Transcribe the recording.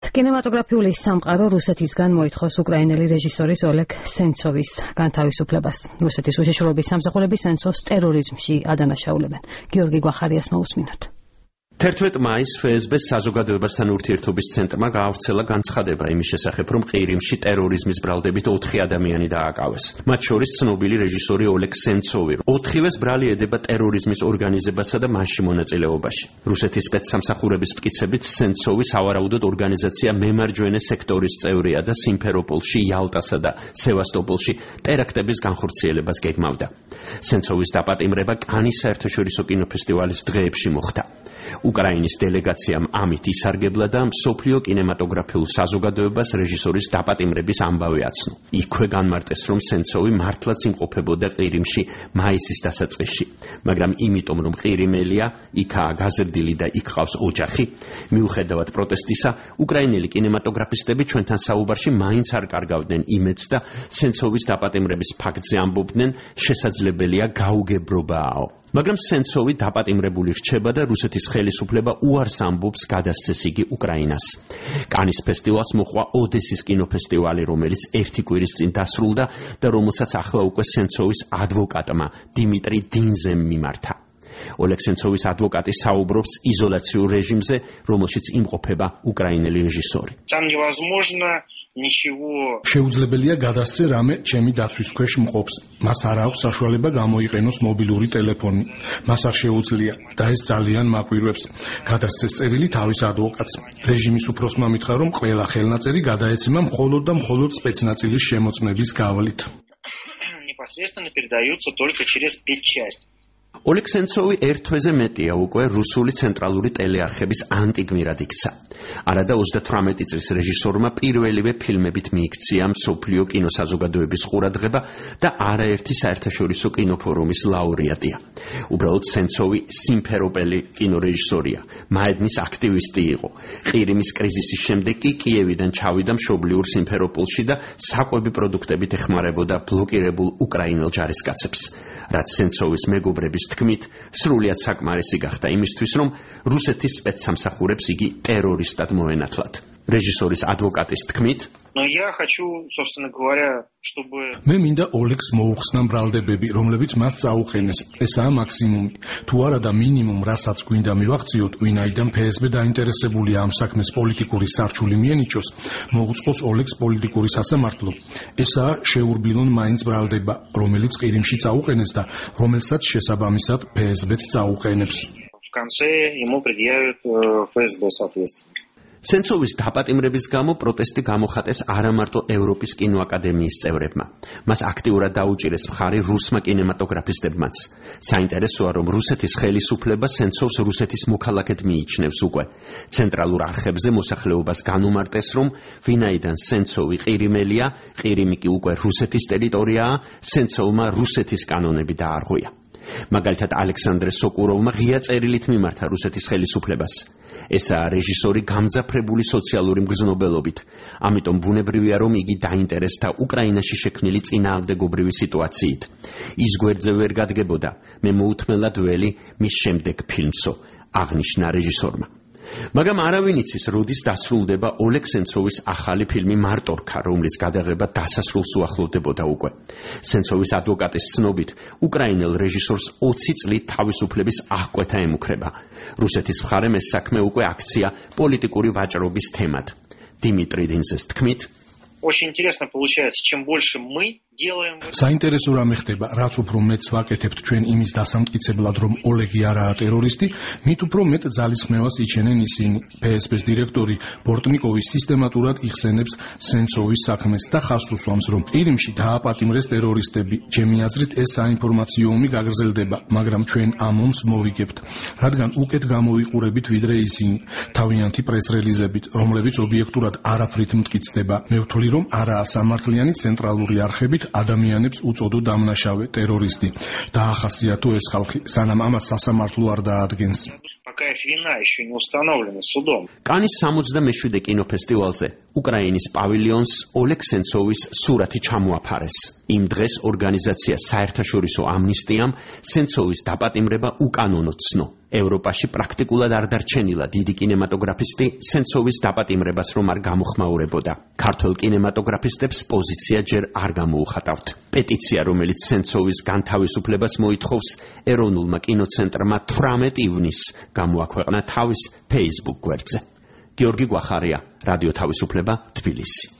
კინემატოგრაფიული სამყარო რუსეთისგან მოითხოვს უკრაინელი რეჟისორის ოლეგ სენცოვის განთავისუფლებას. რუსეთის უშიშროების სამსახურები სენცოვს ტერორიზმში ადანაშაულებენ. გიორგი გვახარიას მოусმინოთ. 11 მაისს FSB-ს საზოგადოებასთან ურთიერთობის ცენტრმა გაავრცელა განცხადება იმის შესახებ, რომ ყირიმში ტერორიზმის ბრალდებით 4 ადამიანი დააკავეს. მათ შორის ცნობილი რეჟისორი ოლეგ სენცოვი. 4-ვეს ბრალი ედება ტერორიზმის ორგანიზებასა და მასში მონაწილეობაში. რუსეთის სპეცსამსახურების მტკიცებით სენცოვი სავარაუდოდ ორგანიზაცია მემარჯვენე სექტორის წევრია და სიმფეროპოლში, იალტასა და სევასტოპოლში ტერაქტების განხორციელებას გეგმავდა. სენცოვის დაპატიმრება კანის საერთაშორისო კინოფესტივალის დღეებში მოხდა. უკრაინის დელეგაციამ ამით ისარგებლა და მსოფლიო კინემატოგრაფიულ საზოგადოებას რეჟისორის დაპატიმრების ამბავი აცნო. იქვე განმარტეს, რომ სენცოვი მართლაც იმყოფებოდა ყირიმში მაისის დასაწყისში, მაგრამ იმიტომ, რომ ყირიმელია, იქაა გაზრდილი და იქ ყავს ოჯახი, მიუხედავად პროტესტისა, უკრაინელი კინემატოგრაფისტები ჩვენთან საუბარში მაინც არ კარგავდნენ იმედს და სენცოვის დაპატიმრების ფაქტზე ამბობდნენ, შესაძლებელია გაუგებრობააო. მაგრამ სენცოვი დაპატიმრებული რჩება და რუსეთის ხელისუფლება უარს ამბობს გადასცეს იგი უკრაინას. კანის ფესტივალს მოჰყვა ოდესის კინოფესტივალი, რომელიც 1 კვირის წინ დასრულდა და რომელსაც ახლა უკვე სენცოვის ადვოკატმა დიმიტრი დინზემ მიმართა. ოლეგ სენცოვის ადვოკატი საუბრობს იზოლაციურ რეჟიმზე, რომელშიც იმყოფება უკრაინელი რეჟისორი. შეუძლებელია გადასცე რამე ჩემი დაცვის ქვეშ მყოფს. მას არ აქვს საშუალება გამოიყენოს მობილური ტელეფონი. მას არ შეუძლია და ეს ძალიან მაკვირვებს. გადასცეს წერილი თავის ადვოკატს. რეჟიმის უფროსმა მითხრა, რომ ყველა ხელნაწერი გადაეცემა მხოლოდ და მხოლოდ სპეცნაწილის შემოწმების გავლით. ოლეგ სენცოვი ერთ თვეზე მეტია უკვე რუსული ცენტრალური ტელეარხების ანტიგმირად იქცა. არადა 38 წლის რეჟისორმა პირველივე ფილმებით მიიქცია მსოფლიო კინოსაზოგადოების ყურადღება და არაერთი საერთაშორისო კინოფორუმის ლაურეატია. უბრალოდ სენცოვი სიმფეროპელი კინორეჟისორია, მაედნის აქტივისტი იყო. ყირიმის კრიზისის შემდეგ კი კიევიდან ჩავიდა მშობლიურ სიმფეროპოლში და საკვები პროდუქტებით ეხმარებოდა ბლოკირებულ უკრაინელ ჯარისკაცებს. რაც სენცოვის მეგობრების თქმით, სრულიად საკმარისი გახდა იმისთვის, რომ რუსეთის სპეცსამსახურებს იგი ტერორისტად მოენათლათ. რეჟისორის ადვოკატის თქმით, მე მინდა ოლეგს მოუხსნა ბრალდებები, რომლებიც მას წაუყენეს. ესაა მაქსიმუმი. თუ არა და მინიმუმ, რასაც გვინდა მივახციოთ, ვინაიდან FSB დაინტერესებულია ამ საქმეს პოლიტიკური სარჩული მიენიჭოს, მოუწყოს ოლეგს პოლიტიკური სასამართლო. ესაა შეურბილონ მაინც ბრალდება, რომელიც ყირიმში წაუყენეს და რომელსაც შესაბამისად FSB-ც წაუყენებს. სენცოვის დაპატიმრების გამო პროტესტი გამოხატეს არა მარტო ევროპის კინოაკადემიის წევრებმა. მას აქტიურად დაუჭირეს მხარი რუსმა კინემატოგრაფისტებმაც. საინტერესოა, რომ რუსეთის ხელისუფლება სენცოვს რუსეთის მოქალაქედ მიიჩნევს უკვე. ცენტრალურ არხებზე მოსახლეობას განუმარტეს, რომ ვინაიდან სენცოვი ყირიმელია, ყირიმი კი უკვე რუსეთის ტერიტორიაა, სენცოვმა რუსეთის კანონები დაარღვია. მაგალითად ალექსანდრე სოკუროვმა ღია წერილით მიმართა რუსეთის ხელისუფლებას. ესაა რეჟისორი გამძაფრებული სოციალური მგრძნობელობით. ამიტომ ბუნებრივია, რომ იგი დაინტერესდა უკრაინაში შექმნილი წინააღმდეგობრივი სიტუაციით. ის გვერდზე ვერ გადგებოდა, მე მოუთმელად ველი მის შემდეგ ფილმსო, აღნიშნა რეჟისორმა. მაგრამ არავინ იცის, როდის დასრულდება ოლეგ სენცოვის ახალი ფილმი მარტორქა, რომლის გადაღება დასასრულს უახლოვდებოდა უკვე. სენცოვის ადვოკატის ცნობით, უკრაინელ რეჟისორს 20 წლით თავისუფლების აღკვეთა ემუქრება. რუსეთის მხარემ ეს საქმე უკვე აქცია პოლიტიკური ვაჭრობის თემად. დიმიტრი დინზეს თქმით, საინტერესო რამე ხდება, რაც უფრო მეტს ვაკეთებთ ჩვენ იმის დასამტკიცებლად, რომ ოლეგი არაა ტერორისტი, მით უფრო მეტ ძალისხმევას იჩენენ ისინი. FSB-ს დირექტორი ბორტნიკოვი სისტემატურად იხსენებს სენცოვის საქმეს და ხაზს უსვამს, რომ ყირიმში დააპატიმრეს ტერორისტები. ჩემი აზრით, ეს საინფორმაციო ომი გაგრძელდება, მაგრამ ჩვენ ამ ომს მოვიგებთ, რადგან უკეთ გამოვიყურებით ვიდრე ისინი, თავიანთი პრეს-რელიზებით, რომლებიც ობიექტურად არაფრით მტკიცდება. მე ვთვლი, რომ არაა სამართლიანი ცენტრალური არხებით ადამიანებს უწოდო დამნაშავე ტერორისტი. დაახასიათო ეს ხალხი, სანამ ამას სასამართლო არ დაადგენს. вина еще не установлена судом. კანის 67-ე კინოფესტივალზე უკრაინის პავილიონს ოლეგ სენცოვის სურათი ჩამოაფარეს. იმ დღეს ორგანიზაცია საერთაშორისო ამნისტიამ სენცოვის დაპატიმრება უკანონოდ ცნო. ევროპაში პრაქტიკულად არ დარჩენილა დიდი კინემატოგრაფისტი სენცოვის დაპატიმრებას რომ არ გამოხმაურებოდა. ქართველ კინემატოგრაფისტებს პოზიცია ჯერ არ გამოუხატავთ. პეტიცია, რომელიც სენცოვის განთავისუფლებას მოითხოვს, ეროვნულმა კინოცენტრმა 18 ივნისს გამოაქვეყნა თავის Facebook გვერდზე. გიორგი გვახარია, რადიო თავისუფლება, თბილისი.